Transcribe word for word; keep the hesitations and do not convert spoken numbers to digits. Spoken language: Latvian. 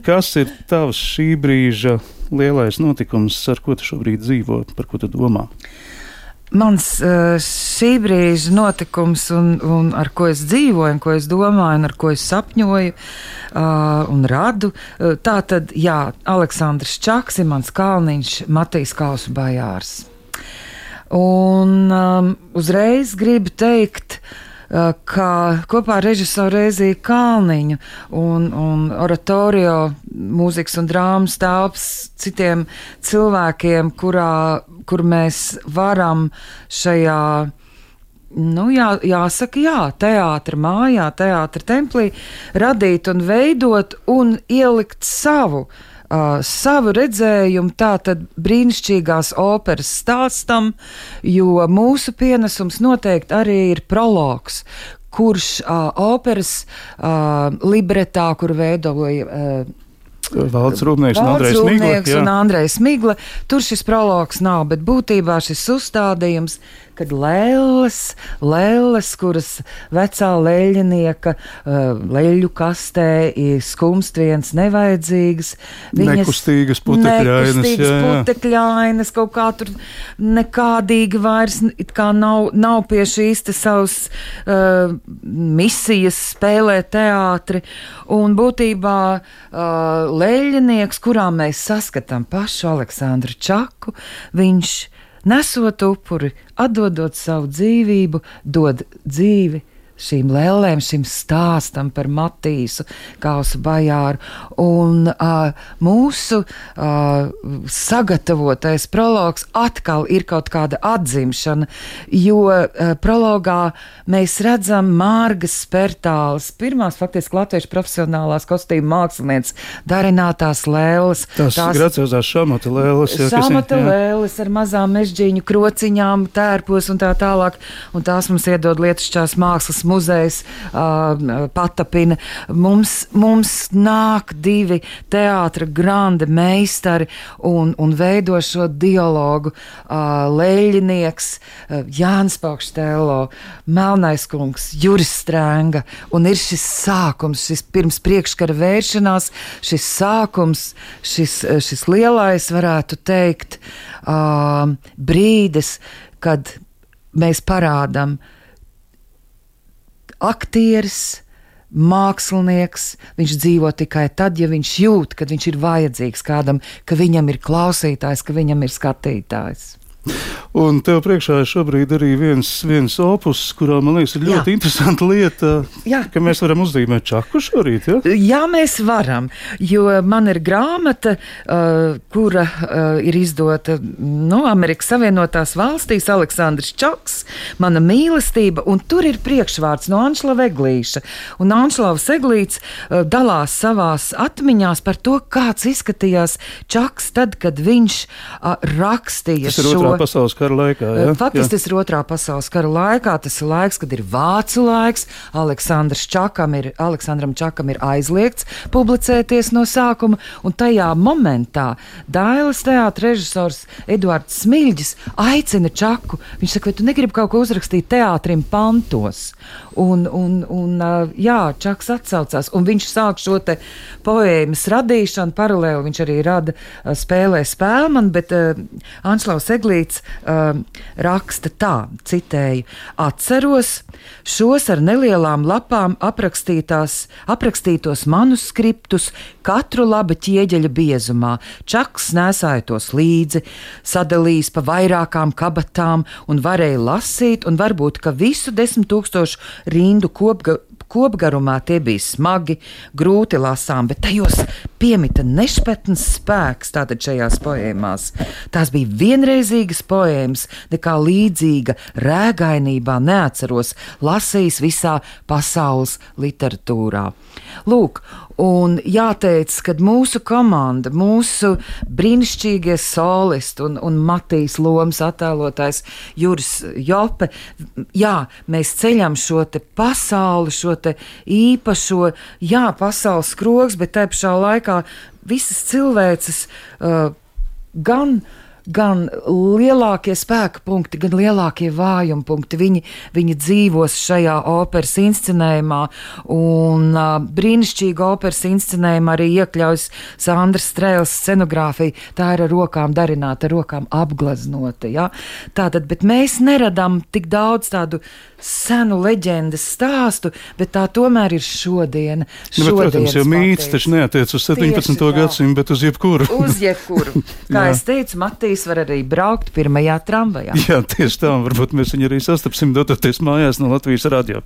Kas ir tavs šī brīža lielais notikums, ar ko tu šobrīd dzīvo, par ko tu domā? Mans šī brīža notikums, un, un ar ko es dzīvoju, un ko es domāju, un ar ko es sapņoju uh, un radu, tā tad, jā, Aleksandrs Čaks ir mans kalniņš, Matīs Kausu bajārs. Un um, uzreiz gribu teikt, ka kopā ar režisoru Rēziju Kalniņu un, un oratorio mūzikas un drāmas telpas citiem cilvēkiem, kurā, kur mēs varam šajā, nu jā, jāsaka, jā, teātra mājā, teātra templī radīt un veidot un ielikt savu Uh, savu redzējumu tātad brīnišķīgās operas stāstam, jo mūsu pienesums noteikti arī ir prologs, kurš uh, operas uh, libretā, kur veidoja uh, Valds Rūpnieks un Andrejs Migla. un Andrejs Migla. Tur šis prologs nav, bet būtībā šis uzstādījums, kad lēles, lēles, kuras vecā leļinieka leļu kastē ir skumst viens nevajadzīgas. Viņas nekustīgas putekļainas. Nekustīgas jā, jā. putekļainas, kaut kā tur nekādīgi vairs it kā nav, nav pie šīs te savas uh, misijas spēlēt teātri. Un būtībā uh, leļinieks, kurā mēs saskatām pašu Aleksandru Čaku, viņš nesot upuri, atdodot savu dzīvību, dod dzīvi šīm lēlēm, šim stāstam par Matīsu Kausu bajāru. Un uh, mūsu uh, sagatavotais prologs atkal ir kaut kāda atzimšana, jo uh, prologā mēs redzam Mārgas Spertāles, pirmās faktiski latviešu profesionālās kostīmu mākslinieces darinātās lēles. Tās graciozās šamata lēles. Jā, šamata ir, lēles ar mazām mežģīņu krociņām, tērpos un tā tālāk. Un tās mums iedod Lietišķās mākslas muzejs, uh, patapina. Mums, mums nāk divi teātra grande meistari un, un veido šo dialogu. Uh, Leļinieks, uh, Jānis Paukštēlo, Melnais kungs, Juris Strēnga. Un ir šis sākums, šis pirms priekškara vēršanās, šis sākums, šis, šis lielais, varētu teikt, uh, brīdis, kad mēs parādam aktieris, mākslinieks, viņš dzīvo tikai tad, ja viņš jūt, kad viņš ir vajadzīgs kādam, ka viņam ir klausītājs, ka viņam ir skatītājs. Un tev priekšā ir šobrīd arī viens, viens opus, kurā, man liekas, ir ļoti Jā. interesanta lieta, Jā. ka mēs varam uzzīmēt Čaku šorīt, ja? Jā, mēs varam, jo man ir grāmata, uh, kura uh, ir izdota, nu, Amerikas Savienotās valstīs, Aleksandrs Čaks, Mana mīlestība, un tur ir priekšvārds no Anšlava Eglīša. Un Anšlavs Eglīts uh, dalās savās atmiņās par to, kāds izskatījās Čaks tad, kad viņš uh, rakstīja šo pasaules kara laikā, jā? Faktiski tas ir otrā pasaules kara laikā, tas ir laiks, kad ir vācu laiks, Aleksandrs Čakam ir, Aleksandram Čakam ir aizliegts publicēties no sākuma, un tajā momentā Dailes teātra režisors Eduards Smiļģis aicina Čaku, viņš saka, vai tu negribi kaut ko uzrakstīt teātrim pantos? Un, un, un jā, Čaks atsaucās, un viņš sāk šo te poēmas radīšanu, paralēli viņš arī rada spēlē Spēlmanu, bet uh, Anšlavs Eglīts Uh, raksta tā, citēju, atceros šos ar nelielām lapām aprakstītos manuskriptus katru laba ķieģeļa biezumā. Čaks nesāja tos līdzi, sadalījis pa vairākām kabatām un varēja lasīt, un varbūt, ka visu desmit tūkstošu rindu kopga Kopgarumā tie bija smagi, grūti lasām, bet tajos piemita nešpatns spēks tātad šajās poēmās. Tās bija vienreizīgas poēmas, nekā līdzīga rēgainībā neatceros lasījis visā pasaules literatūrā. Lūk, un jāteic, kad mūsu komanda, mūsu brīnišķīgie solisti un, un Matīs lomas attēlotājs Juris Jope, jā, mēs ceļam šo te pasauli, šo te īpašo, jā, pasaules skrogs, bet te pašā laikā visas cilvēces uh, gan gan lielākie spēka punkti, gan lielākie vājuma punkti. Viņi, viņi dzīvos šajā operas inscenējumā, un uh, brīnišķīga operas inscenējumā arī iekļaujas Sandras Strēles scenogrāfija. Tā ir ar rokām darināta, ar rokām apgleznota. Ja? Tātad, bet mēs neradām tik daudz tādu senu leģendas stāstu, bet tā tomēr ir šodiena. Nu, bet, protams, jo mīts taču neatiec uz septiņpadsmito gadsimtu, bet uz jebkuru. Uz jebkuru. Kā es teicu, Matīs var arī braukt pirmajā tramvajā. Jā, tieši tā, varbūt mēs viņu arī sastapsim dototies mājās no Latvijas radio.